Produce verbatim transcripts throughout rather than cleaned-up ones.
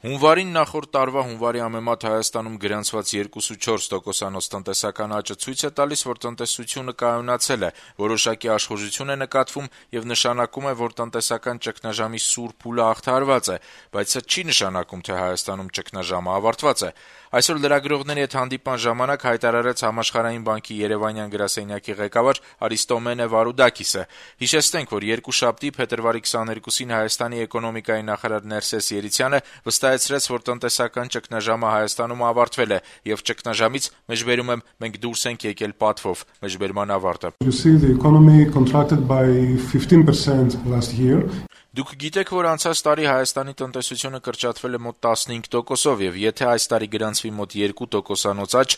Հունվարին նախորդ տարվա հունվարի համեմատ Հայաստանում գրանցված երկուսուց տոկոսանոց տնտեսական աճը ցույց է տալիս, որ տնտեսությունը կայունացել է, որոշակի աշխուժություն է նկատվում եւ նշանակում է, որ տնտեսական ճգնաժամի սուր փուլը հաղթահարված է, բայց սա չի նշանակում, թե Հայաստանում ճգնաժամը ավարտված է։ Այսօր լրագրողների հետ հանդիպման ժամանակ հայտարարեց Համաշխարհային բանկի Երևանյան գրասենյակի ղեկավար Արիստոմենե Վարուդակիսը։ Հիշեցնենք, որ երկուշաբթի փետրվարի քսաներկուսին Հայաստանի էկոնոմիկայի նախարար Ներսես Երիցյանը վստահեցրեց, որ տնտեսական ճգնաժամը Հայաստանում ավարտվել է եւ ճգնաժամից մեջբերում եմ մենք դուրս ենք եկել պատվով։ Մեջբերման ավարտը։ You see the economy contracted by fifteen percent last year. Դուք գիտեք, որ անցած տարի Հայաստանի տնտեսությունը կրճատվել է մոտ տասնհինգ տոկոսով եւ եթե այս տարի գրանցվի մոտ երկու տոկոսանոց աճ,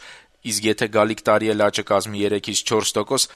իսկ եթե գալիք տարի էլ աճը կազմի երեքից չորս տոկոս,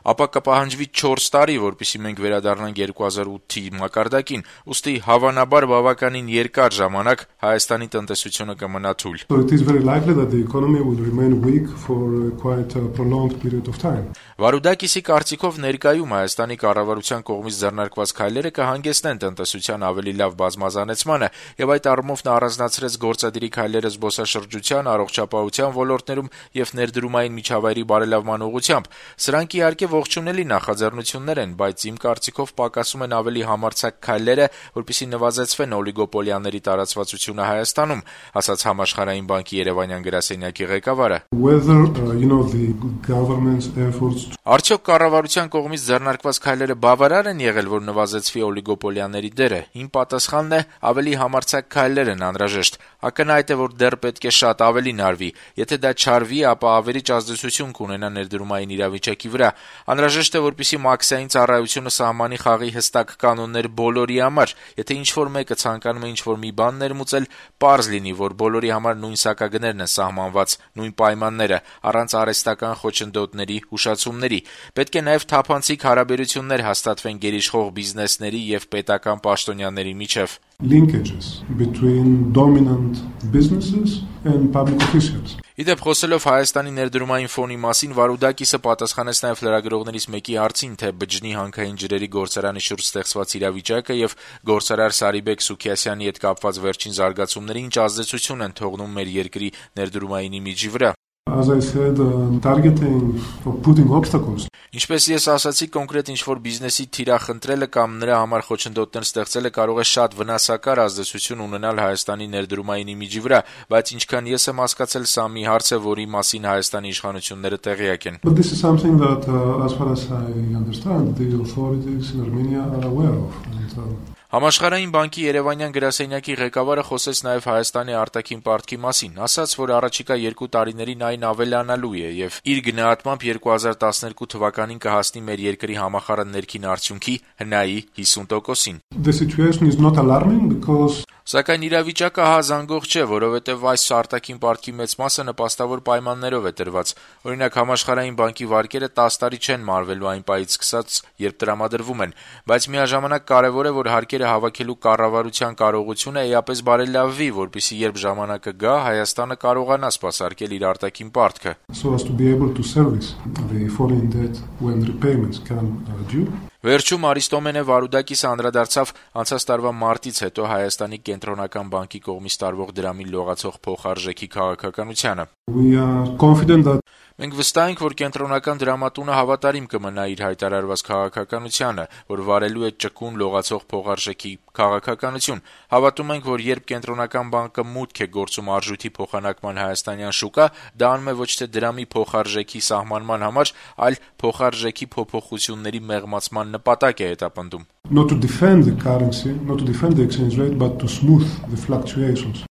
ապա կպահանջվի չորս տարի, որպեսզի մենք վերադառնանք երկու հազար ութի մակարդակին, ուստի հավանաբար բավականին երկար ժամանակ Հայաստանի տնտեսությունը կմնա թույլ։ So it is very likely that the economy will remain weak for quite a prolonged period of time. Վարուդակիսի կարծիքով ներկայում Հայաստանի կառավարության կողմից ձեռնարկված քայլերը կհանգեցնեն տնտեսության ավելի լավ բազմազանեցմանը եւ այդ առումով նա առանձնացրեց գործադիրի քայլերը զբոսաշրջության, առողջապահության ոլորտներում եւ ներդրումային միջավայրի բարելավման ուղղությամբ։ Սրանք իհարկե ողջունելի նախաձեռնություններ են, բայց իմ կարծիքով պակասում են ավելի համարձակ քայլերը, որպեսզի նվազեցվեն օլիգոպոլիաների տարածվածությունը Հայաստանում, ասաց Համաշխարհային բանկի Երևանյան գրասենյակի ղեկավարը։ Whether uh, you know the government's efforts Արդյոք կառավարության կողմից ձեռնարկված քայլերը բավարար են եղել, որ նվազեցվի օլիգոպոլիաների դերը։ Իմ պատասխանն է ավելի համարձակ քայլեր են անհրաժեշտ։ Ակնհայտ է, որ դեռ պետք է շատ ավելին արվի։ Եթե դա չարվի, ապա ավերիչ ազդեցություն կունենա ներդրումային իրավիճակի վրա։ Անհրաժեշտ է, որպեսզի մաքսային ծառայությունը սահմանի խաղի հստակ կանոններ բոլորի համար։ Եթե ինչ-որ մեկը ցանկանում է ինչ-որ մի բան ներմուծել, պարզ լինի, որ բոլորի համար նույն սակագներն են սահմանված, նույն պայմանները, առանց արհեստական խոչընդոտների, հուշացումների։ Պետք է նաև թափանցիկ հարաբերություններ հաստատվեն գերիշխող բիզնեսների եւ պետական պաշտոնյաների միջև։ Linkages between dominant businesses and public officials. Իդեպ խոսելով Հայաստանի ներդրումային ֆոնի մասին, Վարուդակիսը պատասխանեց նաև լրագրողներից մեկի հարցին, թե բջջի հանքային ջրերի գործարանի շուրջ ստեղծված իրավիճակը եւ գործարար Սարիբեկ Սուքիասյանի հետ կապված վերջին զարգացումները ինչ ազդեցություն են թողնում մեր երկրի ներդրումային իմիջի վրա։ As I said, uh, targeting or putting obstacles. Ինչպես ես ասացի, կոնկրետ ինչ-որ բիզնեսի թիրախնդրելը կամ նրա համար խոչընդոտներ ստեղծելը կարող է շատ վնասակար ազդեցություն ունենալ Հայաստանի ներդրումային իմիջի վրա, բայց ինչքան ես եմ հասկացել, սա մի հարց է, որի մասին Հայաստանի իշխանությունները տեղյակ են։ But this is something that, uh, as far as I understand, the authorities in Armenia are aware of. And, uh, Համաշխարհային բանկի Երևանյան գրասենյակի ղեկավարը խոսեց նաև Հայաստանի արտաքին պարտքի մասին, ասաց, որ առաջիկա երկու տարիներին այն ավելանալու է եւ իր գնահատմամբ երկու հազար տասներկու թվականին կհասնի մեր երկրի համախառն ներքին արդյունքի հնայի հիսուն տոկոսին։ The situation is not alarming because Սակայն իրավիճակը հազանգող չէ, որովհետև այս արտաքին պարտքի մեծ մասը նպաստավոր պայմաններով է տրված։ Օրինակ Համաշխարհային բանկի վարկերը տասը տարի չեն մարվելու այն պահից սկսած, երբ տրամադրվում են, բայց միաժամանակ կարևոր է, որ հարկերը հավաքելու կառավարության կարողությունը էապես բարելավվի, որպեսզի երբ ժամանակը գա, Հայաստանը կարողանա սպասարկել իր արտաքին պարտքը։ So as to be able to service the foreign debt when repayments come due. Վերջում Արիստոմենե Վարուդակիսը անդրադարձավ անցած տարվա մարտից հետո Հայաստանի կենտրոնական բանկի կողմից տարվող դրամի լողացող փոխարժեքի քաղաքականությանը։ We are confident that Մենք վստահ ենք, որ կենտրոնական դրամատունը հավատարիմ կմնա իր հայտարարված քաղաքականությանը, որ վարելու է ճկուն լողացող փոխարժեքի քաղաքականություն։ Հավատում ենք, որ երբ կենտրոնական բանկը մուտք է գործում արժույթի փոխանակման հայաստանյան շուկա, դա անում է ոչ թե դրամի փոխարժեքի սահմանման համար, այլ փոխարժեքի փոփոխությունների մեղմացման նպատակ է հետապնդում։ not to defend the currency, not to defend the exchange rate, but to smooth the fluctuations.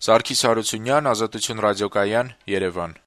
Սարգիս Հարությունյան, Ազատություն ռադիոկայան, Երևան։